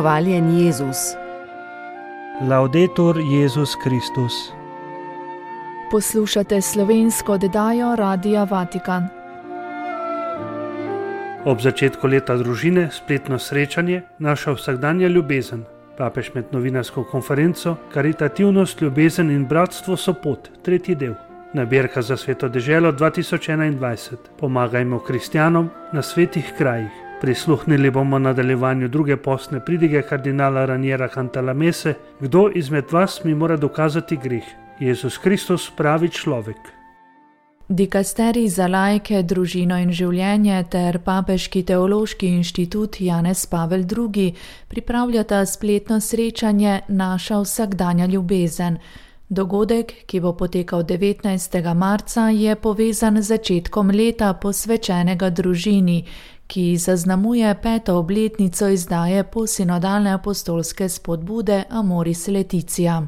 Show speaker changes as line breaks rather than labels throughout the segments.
Hvaljen Jezus.
Laudetur Jezus Kristus.
Poslušate slovensko oddajo Radia Vatikan.
Ob začetku leta družine spletno srečanje Naša vsakdanja ljubezen. Papež med novinarsko konferenco Karitativnost, ljubezen in bratstvo so pot, 3. del. Nabirka za Sveto deželo 2021. Pomagajmo kristjanom na svetih krajih. Prisluhnili bomo nadaljevanju druge postne pridige kardinala Raniera Cantalamesse. Kdo izmed vas mi mora dokazati greh? Jezus Kristus, pravi človek.
Dikasterij za laike, družino in življenje ter Papeški teološki inštitut Janez Pavel II. Pripravljata spletno srečanje Naša vsakdanja ljubezen. Dogodek, ki bo potekal 19. marca, je povezan z začetkom leta posvečenega družini, ki zaznamuje 5. obletnico izdaje posinodalne apostolske spodbude Amoris Laetitia.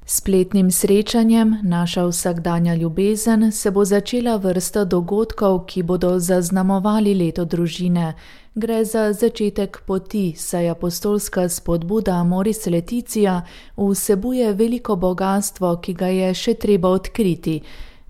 Spletnim srečanjem Naša vsakdanja ljubezen se bo začela vrsta dogodkov, ki bodo zaznamovali leto družine. Gre za začetek poti, saj apostolska spodbuda Amoris Laetitia vsebuje veliko bogastvo, ki ga je še treba odkriti.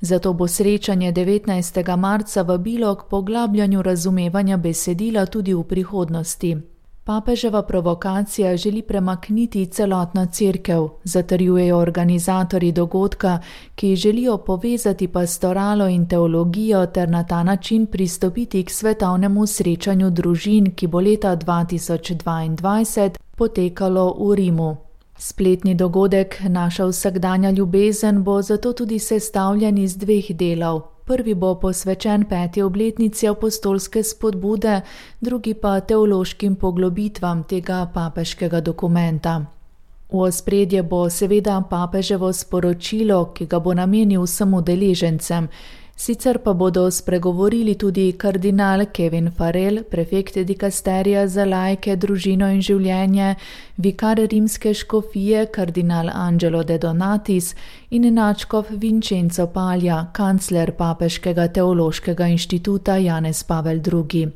Zato bo srečanje 19. marca vabilo k poglabljanju razumevanja besedila tudi v prihodnosti. Papeževa provokacija želi premakniti celotno cerkev, zatrjujejo organizatorji dogodka, ki želijo povezati pastoralo in teologijo ter na ta način pristopiti k svetovnemu srečanju družin, ki bo leta 2022 potekalo v Rimu. Spletni dogodek Naša vsakdanja ljubezen bo zato tudi sestavljen iz 2 delov. Prvi bo posvečen 5. obletnici apostolske spodbude, drugi pa teološkim poglobitvam tega papeškega dokumenta. V ospredje bo seveda papeževo sporočilo, ki ga bo namenil vsem udeležencem. Sicer pa bodo spregovorili tudi kardinal Kevin Farrell, prefekt dikasterija za laike, družino in življenje, vikar rimske škofije kardinal Angelo De Donatis in nadškof Vincenzo Paglia, kancler Papeškega teološkega inštituta Janez Pavel II.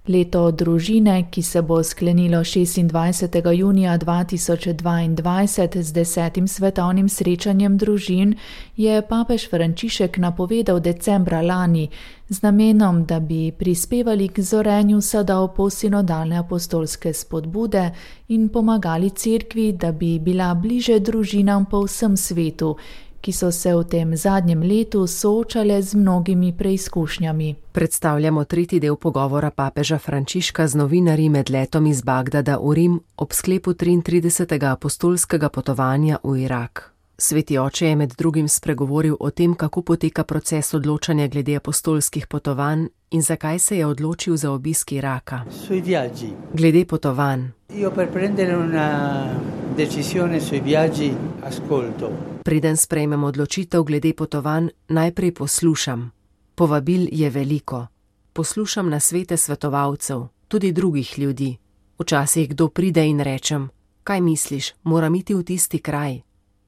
Leto družine, ki se bo sklenilo 26. junija 2022 z 10. svetovnim srečanjem družin, je papež Frančišek napovedal decembra lani z namenom, da bi prispevali k zorenju sadov posinodalne apostolske spodbude in pomagali cerkvi, da bi bila bliže družinam po vsem svetu, ki so se v tem zadnjem letu soočale z mnogimi preizkušnjami.
Predstavljamo 3. del pogovora papeža Frančiška z novinarji med letom iz Bagdada v Rim ob sklepu 33. apostolskega potovanja v Irak. Sveti oče je med drugim spregovoril o tem, kako poteka proces odločanja glede apostolskih potovanj in zakaj se je odločil za obisk Iraka. Glede potovanj. Preden sprejmem odločitev glede potovanj, najprej poslušam. Povabil je veliko. Poslušam nasvete svetovalcev, tudi drugih ljudi. Včasih kdo pride in rečem, kaj misliš, moram iti v tisti kraj.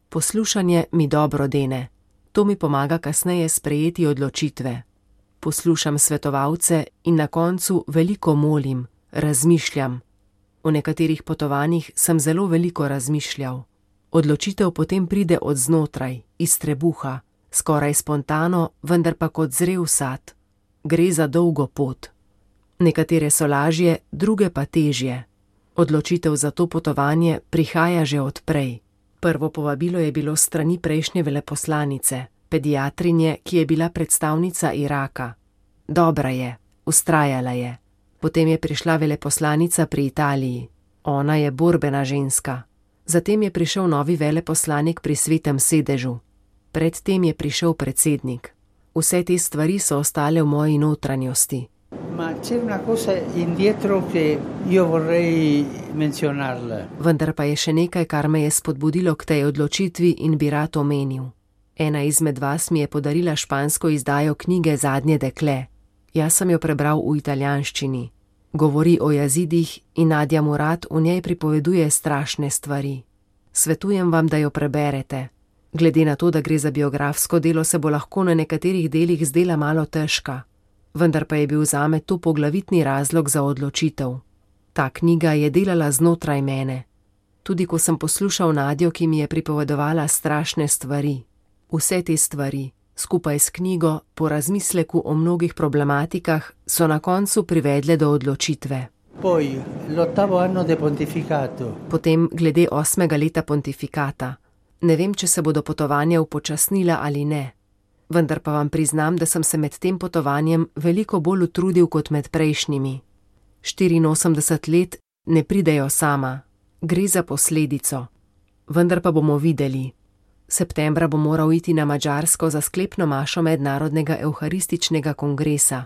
Poslušanje mi dobro dene. To mi pomaga kasneje sprejeti odločitve. Poslušam svetovalce in na koncu veliko molim, razmišljam. V nekaterih potovanjih sem zelo veliko razmišljal. Odločitev potem pride od znotraj, iz trebuha, skoraj spontano, vendar pa kot zrel sad. Gre za dolgo pot. Nekatere so lažje, druge pa težje. Odločitev za to potovanje prihaja že od prej. Prvo povabilo je bilo strani prejšnje veleposlanice, pediatrinje, ki je bila predstavnica Iraka. Dobra je, vztrajala je. Potem je prišla veleposlanica pri Italiji. Ona je borbena ženska. Zatem je prišel novi veleposlanik pri Svetem sedežu. Predtem je prišel predsednik. Vse te stvari so ostale v moji notranjosti. Vendar pa je še nekaj, kar me je spodbudilo k tej odločitvi in bi rad omenil. Ena izmed vas mi je podarila špansko izdajo knjige Zadnje dekle. Jaz sem jo prebral v italijanščini. Govori o jazidih in Nadia Murad v njej pripoveduje strašne stvari. Svetujem vam, da jo preberete. Glede na to, da gre za biografsko delo, se bo lahko na nekaterih delih zdela malo težka. Vendar pa je bil zame to poglavitni razlog za odločitev. Ta knjiga je delala znotraj mene. Tudi ko sem poslušal Nadjo, ki mi je pripovedovala strašne stvari. Vse te stvari, skupaj s knjigo, po razmisleku o mnogih problematikah, so na koncu privedle do odločitve. Potem glede 8. leta pontifikata. Ne vem, če se bodo potovanja upočasnila ali ne. Vendar pa vam priznam, da sem se med tem potovanjem veliko bolj utrudil kot med prejšnjimi. 84 let ne pridejo sama. Gre za posledico. Vendar pa bomo videli. Septembra bom moral iti na Madžarsko za sklepno mašo mednarodnega evharističnega kongresa.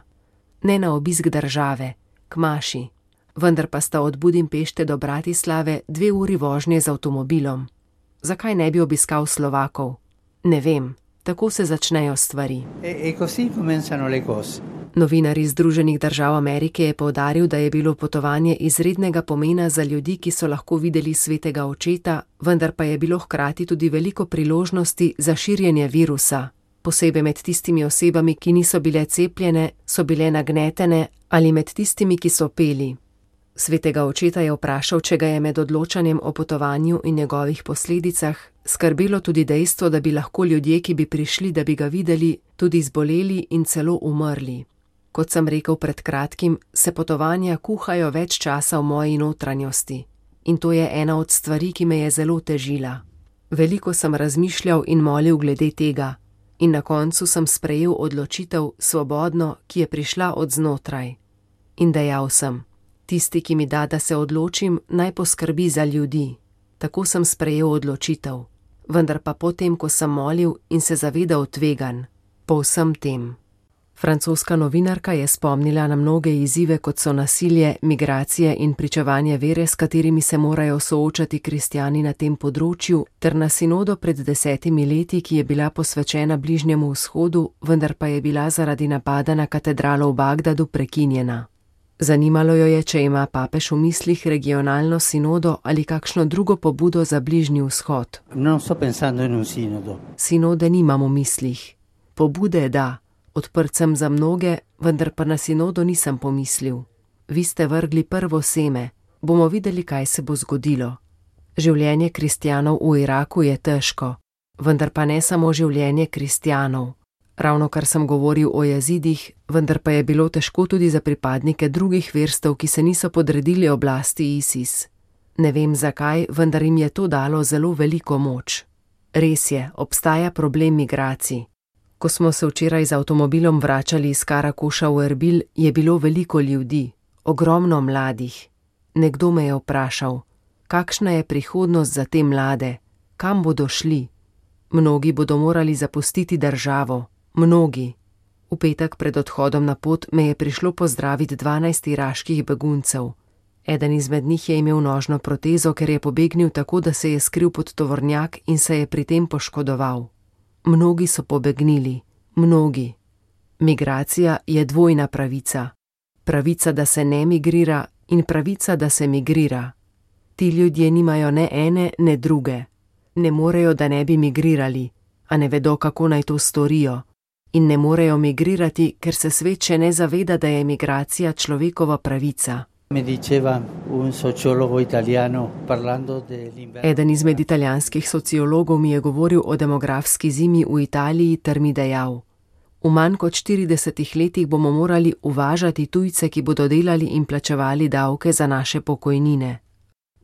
Ne na obisk države, k maši. Vendar pa sta od Budimpešte do Bratislave 2 uri vožnje z avtomobilom. Zakaj ne bi obiskal Slovakov? Ne vem. Tako se začnejo stvari. Novinar iz Združenih držav Amerike je poudaril, da je bilo potovanje izrednega pomena za ljudi, ki so lahko videli svetega očeta, vendar pa je bilo hkrati tudi veliko priložnosti za širjenje virusa. Posebej med tistimi osebami, ki niso bile cepljene, so bile nagnetene, ali med tistimi, ki so peli. Svetega očeta je vprašal, če ga je med odločanjem o potovanju in njegovih posledicah skrbelo tudi dejstvo, da bi lahko ljudje, ki bi prišli, da bi ga videli, tudi zboleli in celo umrli. Kot sem rekel pred kratkim, se potovanja kuhajo več časa v moji notranjosti. In to je ena od stvari, ki me je zelo težila. Veliko sem razmišljal in molil glede tega. In na koncu sem sprejel odločitev svobodno, ki je prišla od znotraj. In dejal sem: tisti, ki mi da se odločim, naj poskrbi za ljudi. Tako sem sprejel odločitev. Vendar pa potem, ko sem molil in se zavedal tveganj. Po vsem tem. Francoska novinarka je spomnila na mnoge izzive, kot so nasilje, migracije in pričevanje vere, s katerimi se morajo soočati kristjani na tem področju, ter na sinodo pred 10 leti, ki je bila posvečena Bližnjemu vzhodu, vendar pa je bila zaradi napada na katedralo v Bagdadu prekinjena. Zanimalo jo je, če ima papež v mislih regionalno sinodo ali kakšno drugo pobudo za Bližnji vzhod. Sinode nimam v mislih. Pobude da. Odprt sem za mnoge, vendar pa na sinodo nisem pomislil. Vi ste vrgli prvo seme. Bomo videli, kaj se bo zgodilo. Življenje kristjanov v Iraku je težko. Vendar pa ne samo življenje kristjanov. Ravnokar sem govoril o jezidih, vendar pa je bilo težko tudi za pripadnike drugih verstev, ki se niso podredili oblasti ISIS. Ne vem zakaj, vendar jim je to dalo zelo veliko moč. Res je, obstaja problem migracij. Ko smo se včeraj z avtomobilom vračali iz Karakoša v Erbil, je bilo veliko ljudi, ogromno mladih. Nekdo me je vprašal, kakšna je prihodnost za te mlade, kam bodo šli? Mnogi bodo morali zapustiti državo. Mnogi. V petek pred odhodom na pot me je prišlo pozdraviti 12 iraških beguncev. Eden izmed njih je imel nožno protezo, ker je pobegnil tako, da se je skril pod tovornjak in se je pri tem poškodoval. Mnogi so pobegnili. Mnogi. Migracija je dvojna pravica. Pravica, da se ne migrira, in pravica, da se migrira. Ti ljudje nimajo ne ene, ne druge. Ne morejo, da ne bi migrirali, a ne vedo, kako naj to storijo. In ne morejo migrirati, ker se svet še ne zaveda, da je migracija človekova pravica. Eden izmed italijanskih sociologov mi je govoril o demografski zimi v Italiji ter mi dejal: v manj kot 40 letih bomo morali uvažati tujce, ki bodo delali in plačevali davke za naše pokojnine.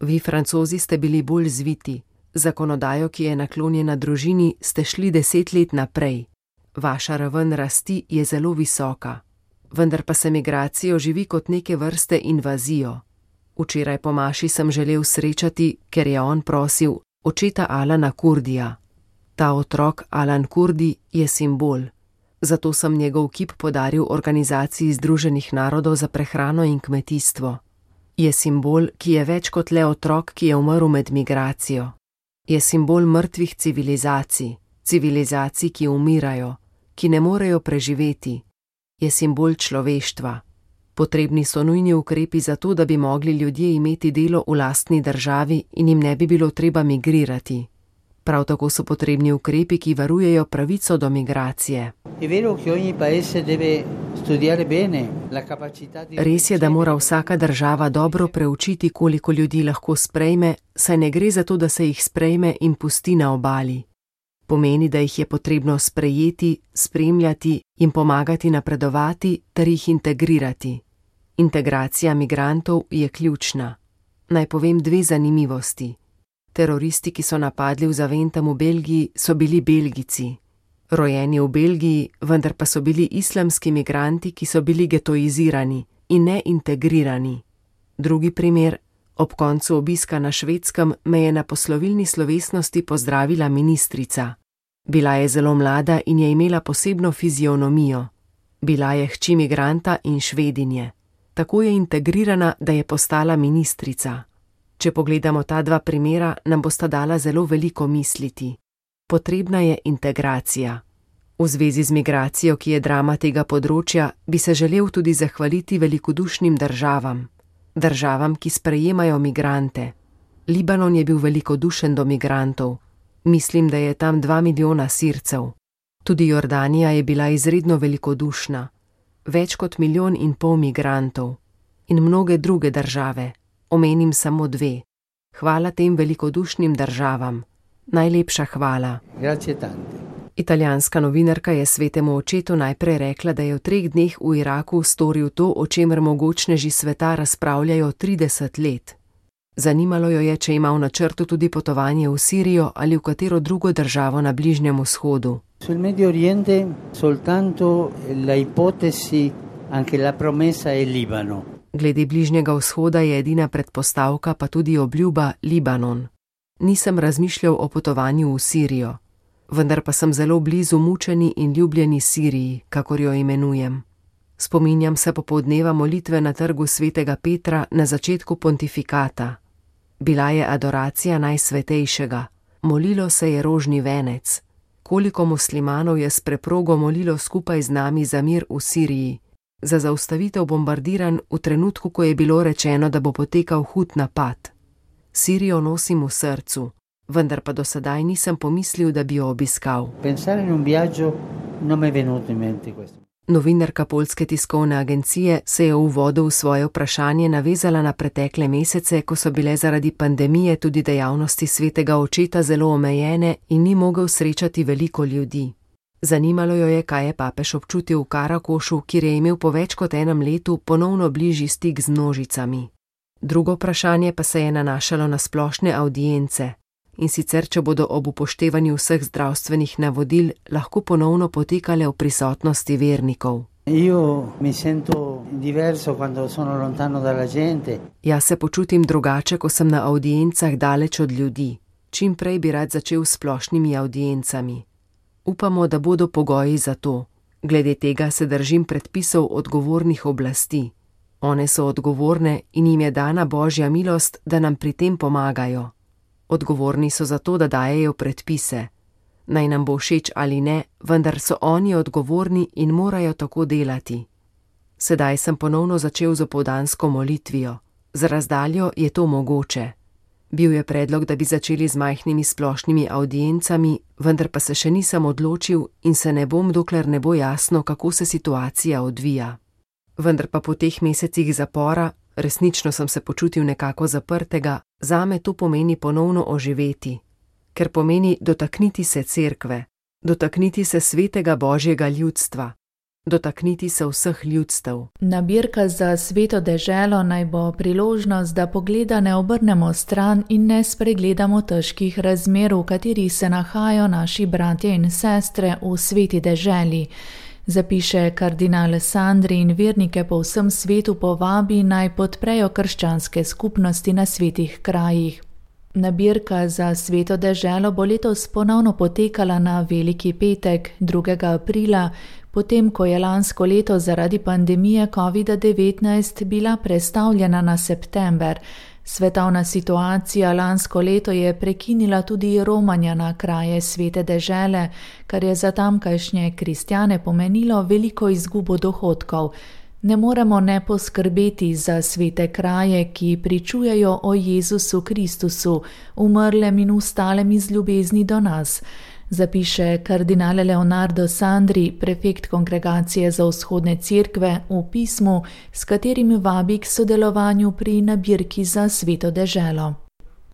Vi, Francozi, ste bili bolj zviti. Zakonodajo, ki je naklonjena družini, ste šli 10 let naprej. Vaša raven rasti je zelo visoka. Vendar pa se migracijo živi kot neke vrste invazijo. Včeraj po maši sem želel srečati, ker je on prosil, očeta Alana Kurdija. Ta otrok, Alan Kurdi, je simbol. Zato sem njegov kip podaril Organizaciji Združenih narodov za prehrano in kmetijstvo. Je simbol, ki je več kot le otrok, ki je umrl med migracijo. Je simbol mrtvih civilizacij, civilizacij, ki umirajo, ki ne morejo preživeti. Je simbol človeštva. Potrebni so nujni ukrepi za to, da bi mogli ljudje imeti delo v lastni državi in jim ne bi bilo treba migrirati. Prav tako so potrebni ukrepi, ki varujejo pravico do migracije. Res je, da mora vsaka država dobro preučiti, koliko ljudi lahko sprejme, saj ne gre za to, da se jih sprejme in pusti na obali. Pomeni, da jih je potrebno sprejeti, spremljati, jim pomagati napredovati ter jih integrirati. Integracija migrantov je ključna. Naj povem dve zanimivosti. Teroristi, ki so napadli v Zaventem v Belgiji, so bili Belgijci. Rojeni v Belgiji, vendar pa so bili islamski migranti, ki so bili getoizirani in ne integrirani. Drugi primer, ob koncu obiska na Švedskem me je na poslovilni slovesnosti pozdravila ministrica. Bila je zelo mlada in je imela posebno fizionomijo. Bila je hči migranta in Švedinje. Tako je integrirana, da je postala ministrica. Če pogledamo ta dva primera, nam bosta dala zelo veliko misliti. Potrebna je integracija. V zvezi z migracijo, ki je drama tega področja, bi se želel tudi zahvaliti velikodušnim državam. Državam, ki sprejemajo migrante. Libanon je bil velikodušen do migrantov. Mislim, da je tam 2 milijona Sircev. Tudi Jordanija je bila izredno velikodušna. Več kot 1,5 milijona migrantov. In mnoge druge države. Omenim samo 2. Hvala tem velikodušnim državam. Najlepša hvala. Italijanska novinarka je svetemu očetu najprej rekla, da je v 3 dneh v Iraku storil to, o čemer mogočneži sveta razpravljajo 30 let. Zanimalo jo je, če ima v načrtu tudi potovanje v Sirijo ali v katero drugo državo na Bližnjem vzhodu.
Sul Medio Oriente soltanto la ipotesi, anche la promessa è Libano.
Glede Bližnjega vzhoda je edina predpostavka, pa tudi obljuba Libanon. Nisem razmišljal o potovanju v Sirijo, vendar pa sem zelo blizu mučeni in ljubljeni Siriji, kakor jo imenujem. Spominjam se popoldneva molitve na trgu svetega Petra na začetku pontifikata. Bila je adoracija najsvetejšega, molilo se je rožni venec. Koliko muslimanov je s preprogo molilo skupaj z nami za mir v Siriji, za zaustavitev bombardiranj v trenutku, ko je bilo rečeno, da bo potekal hud napad. Sirijo nosim v srcu, vendar pa do sedaj nisem pomislil, da bi jo obiskal. Novinarka Poljske tiskovne agencije se je v uvodu v svoje vprašanje navezala na pretekle mesece, ko so bile zaradi pandemije tudi dejavnosti svetega očeta zelo omejene in ni mogel srečati veliko ljudi. Zanimalo jo je, kaj je papež občutil v Karakošu, kjer je imel po več kot 1 letu ponovno bližji stik z množicami. Drugo vprašanje pa se je nanašalo na splošne audience, in sicer, če bodo ob upoštevanju vseh zdravstvenih navodil lahko ponovno potekale v prisotnosti vernikov. Jaz se počutim drugače, ko sem na audiencah daleč od ljudi. Čim prej bi rad začel s splošnimi audiencami. Upamo, da bodo pogoji za to. Glede tega se držim predpisov odgovornih oblasti. One so odgovorne in jim je dana Božja milost, da nam pri tem pomagajo. Odgovorni so za to, da dajejo predpise. Naj nam bo všeč ali ne, vendar so oni odgovorni in morajo tako delati. Sedaj sem ponovno začel z opoldansko molitvijo. Z razdaljo je to mogoče. Bil je predlog, da bi začeli z majhnimi splošnimi audiencami, vendar pa se še nisem odločil in se ne bom, dokler ne bo jasno, kako se situacija odvija. Vendar pa po teh mesecih zapora, resnično sem se počutil nekako zaprtega, zame to pomeni ponovno oživeti. Ker pomeni dotakniti se cerkve, dotakniti se svetega Božjega ljudstva, dotakniti se vseh ljudstev.
Nabirka za sveto deželo naj bo priložnost, da pogleda ne obrnemo stran in ne spregledamo težkih razmer, v katerih se nahajajo naši bratje in sestre v sveti deželi. Zapiše kardinal Sandri in vernike po vsem svetu povabi naj podprejo krščanske skupnosti na svetih krajih. Nabirka za sveto deželo bo letos ponovno potekala na Veliki petek, 2. aprila, potem ko je lansko leto zaradi pandemije COVID-19 bila prestavljena na september. Svetovna situacija lansko leto je prekinila tudi romanja na kraje svete dežele, kar je za tamkajšnje kristjane pomenilo veliko izgubo dohodkov. Ne moremo ne poskrbeti za svete kraje, ki pričujejo o Jezusu Kristusu, umrlem in vstalem iz ljubezni do nas, zapiše kardinal Leonardo Sandri, prefekt Kongregacije za vzhodne cerkve, v pismu, s katerim vabi k sodelovanju pri nabirki za Sveto deželo.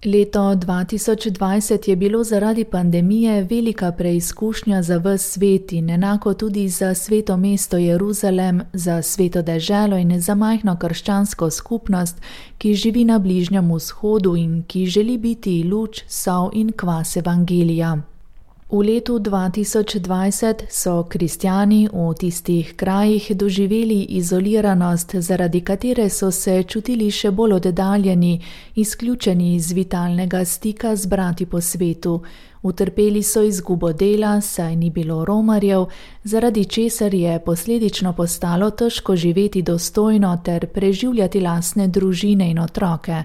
Leto 2020 je bilo zaradi pandemije velika preizkušnja za ves svet in enako tudi za sveto mesto Jeruzalem, za Sveto deželo in za majhno krščansko skupnost, ki živi na Bližnjem vzhodu in ki želi biti luč, sol in kvas evangelija. V letu 2020 so kristjani v tistih krajih doživeli izoliranost, zaradi katere so se čutili še bolj oddaljeni, izključeni iz vitalnega stika z brati po svetu. Utrpeli so izgubo dela, saj ni bilo romarjev, zaradi česar je posledično postalo težko živeti dostojno ter preživljati lastne družine in otroke.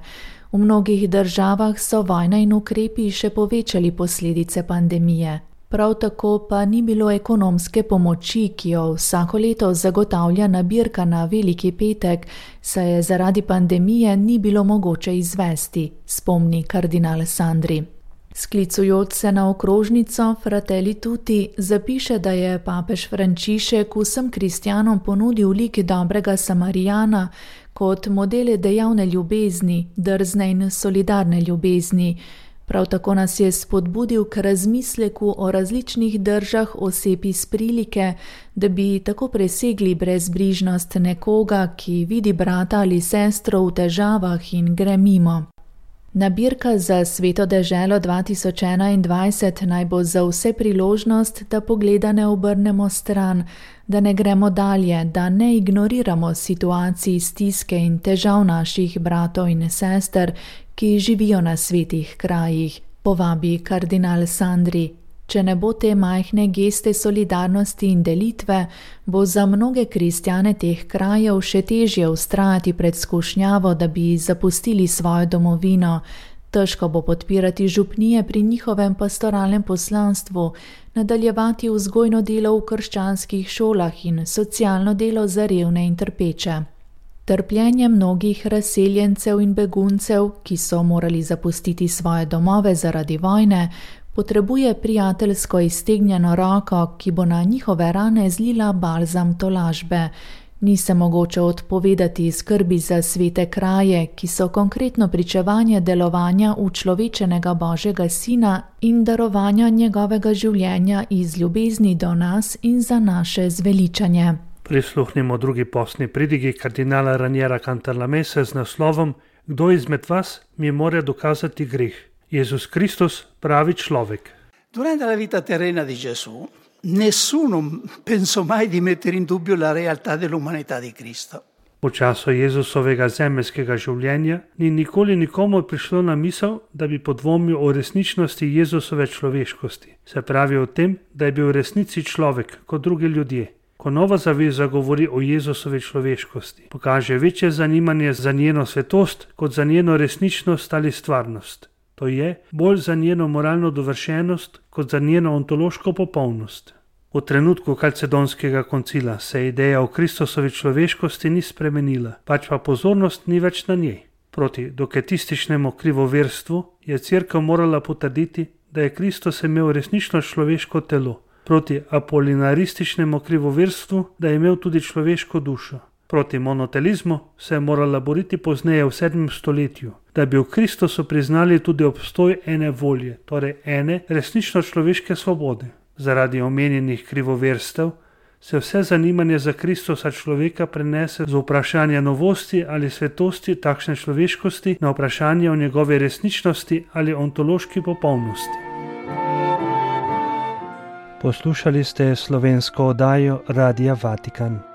V mnogih državah so vojna in ukrepi še povečali posledice pandemije. Prav tako pa ni bilo ekonomske pomoči, ki jo vsako leto zagotavlja nabirka na Veliki petek, saj je zaradi pandemije ni bilo mogoče izvesti, spomni kardinal Sandri. Sklicujoč se na okrožnico Fratelli Tutti, zapiše, da je papež Frančišek vsem kristjanom ponudil lik dobrega Samarijana kot modele dejavne ljubezni, drzne in solidarne ljubezni. Prav tako nas je spodbudil k razmisleku o različnih držah oseb iz prilike, da bi tako presegli brezbrižnost nekoga, ki vidi brata ali sestro v težavah in gre mimo. Nabirka za Sveto deželo 2021 naj bo za vse priložnost, da pogleda ne obrnemo stran, da ne gremo dalje, da ne ignoriramo situacij stiske in težav naših bratov in sester, ki živijo na svetih krajih, povabi kardinal Sandri. Če ne bo te majhne geste solidarnosti in delitve, bo za mnoge kristjane teh krajev še težje vztrajati pred skušnjavo, da bi zapustili svojo domovino. Težko bo podpirati župnije pri njihovem pastoralnem poslanstvu, nadaljevati vzgojno delo v krščanskih šolah in socialno delo za revne in trpeče. Trpljenje mnogih razseljencev in beguncev, ki so morali zapustiti svoje domove zaradi vojne, potrebuje prijateljsko iztegnjeno roko, ki bo na njihove rane zlila balzam tolažbe. Ni se mogoče odpovedati skrbi za svete kraje, ki so konkretno pričevanje delovanja učlovečenega Božjega Sina in darovanja njegovega življenja iz ljubezni do nas in za naše zveličanje.
Prisluhnimo drugi postni pridigi kardinala Raniera Cantalamesse z naslovom Kdo izmed vas mi more dokazati greh? Jezus Kristus, pravi človek.
Durante la vita terrena di Gesù, nessuno pensò mai di mettere in dubbio la realtà dell'umanità di Cristo.
V času Jezusovega zemeljskega življenja ni nikoli nikomu prišlo na misel, da bi podvomil o resničnosti Jezusove človeškosti. Se pravi o tem, da je bil v resnici človek kot drugi ljudje. Ko Nova zaveza govori o Jezusovi človeškosti, pokaže večje zanimanje za njeno svetost kot za njeno resničnost ali stvarnost. To je bolj za njeno moralno dovršenost kot za njeno ontološko popolnost. V trenutku Kalcedonskega koncila se ideja o Kristusovi človeškosti ni spremenila, pač pa pozornost ni več na njej. Proti doketističnemu krivoverstvu je Cerkev morala potrditi, da je Kristus imel resnično človeško telo. Proti apolinarističnemu krivoverstvu, da je imel tudi človeško dušo. Proti monotelizmu se je morala boriti pozneje v 7. stoletju, da bi v Kristusu priznali tudi obstoj ene volje, torej ene resnično človeške svobode. Zaradi omenjenih krivoverstev se vse zanimanje za Kristusa človeka prenese z vprašanja novosti ali svetosti takšne človeškosti na vprašanje o njegovi resničnosti ali ontološki popolnosti.
Poslušali ste slovensko oddajo Radia Vatikan.